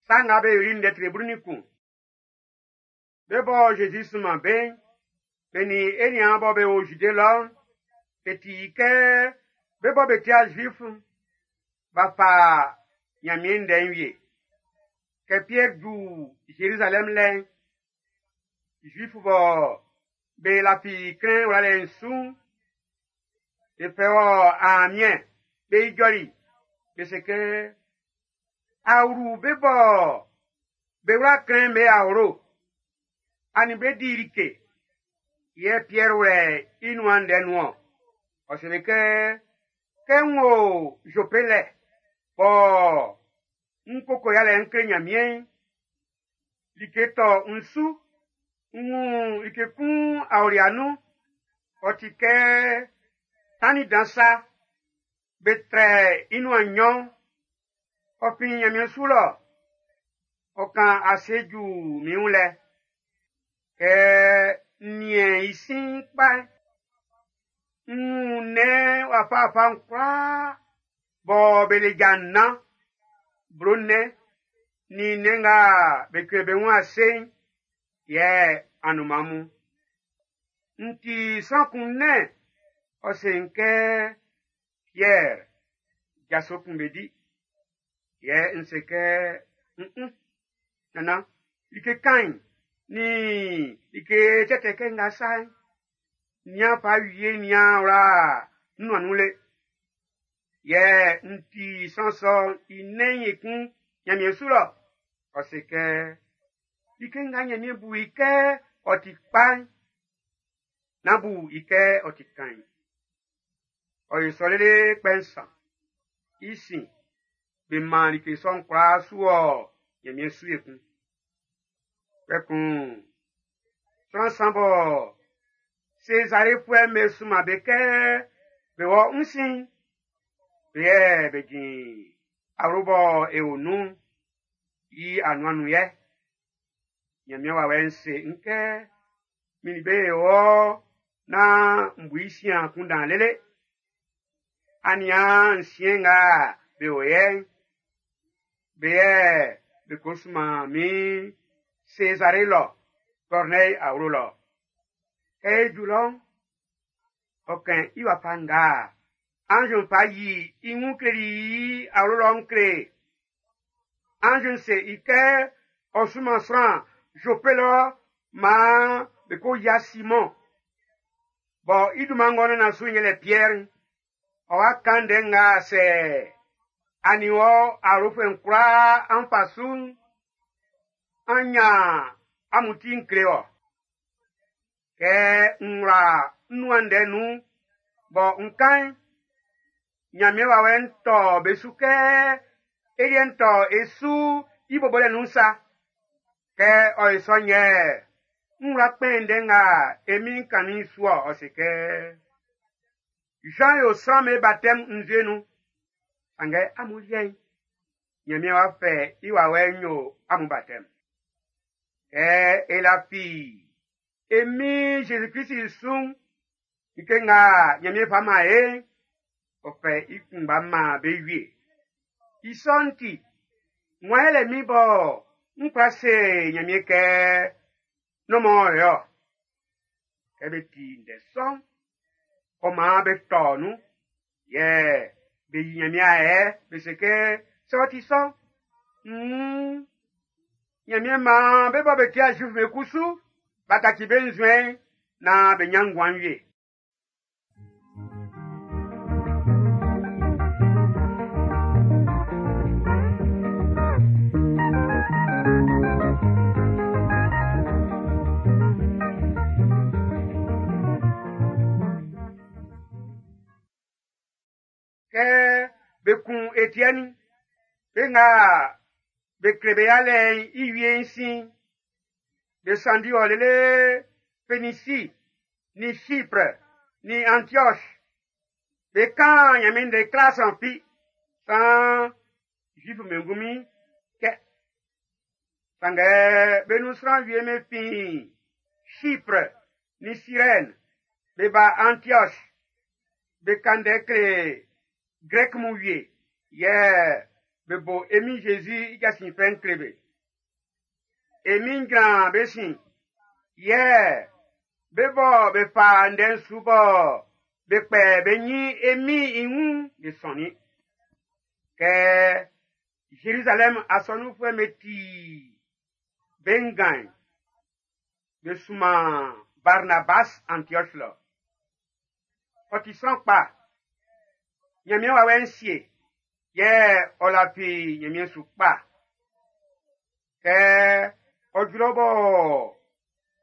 Sa Nga Be Yoli'n ndɛ tre 11. Be bɔ Zezi sunman be'n, be nin e niaan bɔ be o Zide lɔ'n, be ti i kɛ be bɔ be ti'a Zuif'n, b'a fa Nyanmiɛn ndɛ'n wie. Kɛ Piɛr ju Zerizalɛm lɛ'n, Zuif bɔ be lafi klɛn wlalɛ'n su'n, be fɛ wɔ aamiɛn be ijɔli, be se kɛ, a wlu be bɔ be wla klɛn be awlo, a nin be di like. Yɛ Piɛr wlɛ i nuan ndɛ nun-ɔn. Ɔ seli kɛ, kɛ n wo Zope lɛ, bɔ n koko yalɛ n kle Nyanmiɛn'n, like tɔ n su, n wun like kun aolia nun, ɔ ti kɛ tannin dan sa, be trɛ i nuan nnyɔn, ɔ fin Nyanmiɛn su lɔ, ɔ kan ase ju min wun lɛ. Kɛ n niɛn i sin kpa'n, n wun nnɛn wafawafa'n kwlaa bɔ be le ja nnan, blo nnɛn, nin nnɛn nga be kle be wun ase'n, yɛ anunman mun. N ti sran kun nnɛn, ɔ se n kɛ, Piɛr, jaso kun be di. Yɛ n se kɛ, n nannan, like kain nin like tɛtɛ kɛ nga sa'n, nian fa wie nian wla n nuan nun le. Yɛ n ti sran sɔ'n i nnɛn'n ekun Nyanmiɛn su lɔ. Ɔ se kɛ, like nga Nyanmiɛn bu i kɛ ɔ ti kpa'n, nán bu i kɛ ɔ ti kain. Ɔ yo sɔ lele kpɛ nsan. I sin, be man like sɔ'n kwlaa su wɔ Nyanmiɛn su ekun. Kpɛkun, sran san bɔ Sezarefuɛ'm be sunman be kɛ be wɔ n sin, be yɛ be jin awlo bɔ e o nun'n i anuan nun yɛ. Nyanmiɛn wawɛ'n se n kɛ min nin be e wɔ nán n bu i sin akunndan lele. Aniaan nsiɛn nga be o yɛ'n, be yɛ be ko sunman min Sezare lɔ, Kɔrnɛyi awlo lɔ. Kɛ e ju lɔ'n, ɔ kɛn i wafa nga anz'n fa yi i wun kleli i awlo lɔ'n kle. Anz'n se i kɛ ɔ sunman sran Zope lɔ maan be ko yia Simɔn. Bɔ i dunman ng'ɔ nannan su'n yɛlɛ Piɛr'n. Ɔ wa kan ndɛ nga sɛ a nin wɔ awlofuɛ'n kwlaa an fa su'n, an nyan amun ti'n kle wɔ. Kɛ n wla n nuan ndɛ nun bɔ n kan'n, Nyanmiɛn wawɛ'n tɔ be su kɛ e liɛ'n tɔ e su i bobolɛ nun sa. Kɛ ɔ ye sɔ'n yɛ n wla kpɛn ndɛ nga e Min'n kannin'n su-ɔ, ɔ se kɛ, Jean yo sran'm be baptême nzue nun, sanngɛ amun liɛ'n, Nyanmiɛn w'a fɛ i wawɛ'n yo amun baptême. Kɛ e lafi e Min Jésus-Christ su'n, like nga Nyanmiɛn fa man e'n, ɔ fɛ i kunngba man be wie. I sɔ'n ti, wan yɛlɛ min bɔ n kwla se Nyanmiɛn kɛ nɔnmɔ yɔ. Kɛ be ti ndɛ sɔ'n, ɔ maan be tɔ nun, yɛ be yi Nyanmiɛn ayɛ, be se kɛ, sɛ ɔ ti sɔ'n, Nyanmiɛn maan be bɔ be ti'a Zuif be kusu, b'a kaci be nzuɛn'n naan be nyan nguan wie. Kɛ be kun Etiɛni, be nga be kle be yalɛ'n i wie'n sin, be sanndi ɔ lele Fenisi, ni Chypre, ni Antioche. Be kan Nyanmiɛn ndɛ kla sran fi, san Zuif be ngunmin kɛ. Sanngɛ be nun sran wie be fin Chypre ni Cyrène, be ba Antioche, be kan ndɛ kle Grɛk mun wie, yɛ Be bo e Min Zezi i jasin fɛ'n kle be. E Min'n jran be sin, yɛ be bɔ be fa ndɛ'n su bɔ be kpɛ be nyin e Min'n i wun'n be sɔnnin. Kɛ Zerizalɛm asɔnunfuɛ'm be ti be ngan'n, be sunman Barnabas Antioch lɔ. Ɔ ti sran kpa, Ɲanmiɛn wawɛ'n sie, yɛ ɔ lafi Ɲanmiɛn su kpa. Kɛ ɔ ju lɔ bɔ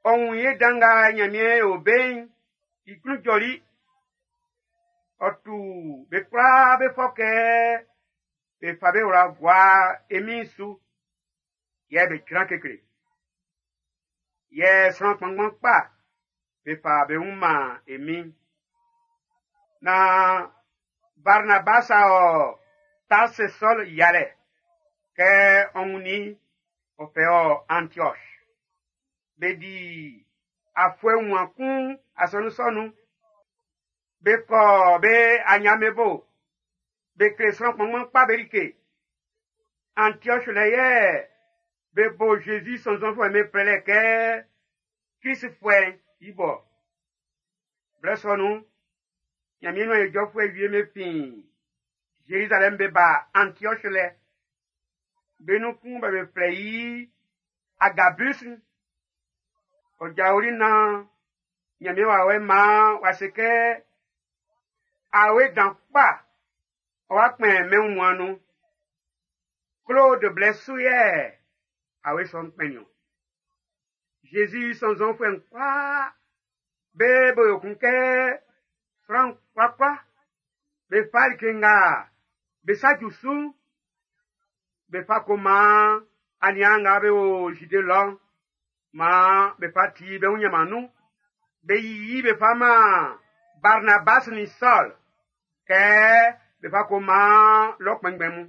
ɔ wun ye dan nga Ɲanmiɛn yo be'n, i klun jɔli. Ɔ tu be kwlaa be fɔ kɛ be fa be wla gua e Min'n su, yɛ be jran kekle. Yɛ sran kpanngban kpa be fa be wun man e Min'n. Na Barnabas a ɔ Tarse Sɔl yalɛ kɛ ɔ wunnin ɔ fɛ ɔ Antioch. Be di afuɛ wunmuan kun asɔnun sɔ nun. Be kɔ be aɲia'm be bo. Be kle sran kpanngban kpa be like. Antioch lɛ yɛ be bo Zezi sɔnnzɔnfuɛ'm be flɛlɛ kɛ Klistfuɛ'n i bo. Blɛ sɔ nun'n, Ɲanmiɛn nuan ijɔfuɛ wie'm be fin Zerizalɛm be ba Antioch lɛ. Be nun kun bɔ be flɛ i Agabus. Ɔ jaoli nan Ɲanmiɛn wawɛ'n maan w'a se kɛ awe dan kpa ɔ wa kpɛn mɛn wunmuan'n nun. Claude blɛ su yɛ awe sɔ'n kpɛnnin o. Zezi sɔnnzɔnfuɛ'n kwlaa be bo yo kun kɛ sran kwlakwla be fa like nga be sa ju su'n be fa ko man aniaan nga be o Zide lɔ'n maan be fa ti be wun ɲanman nun. Be yiyi be fa man Barnabas nin Sɔl kɛ be fa ko man lɔ kpɛnngbɛn mun.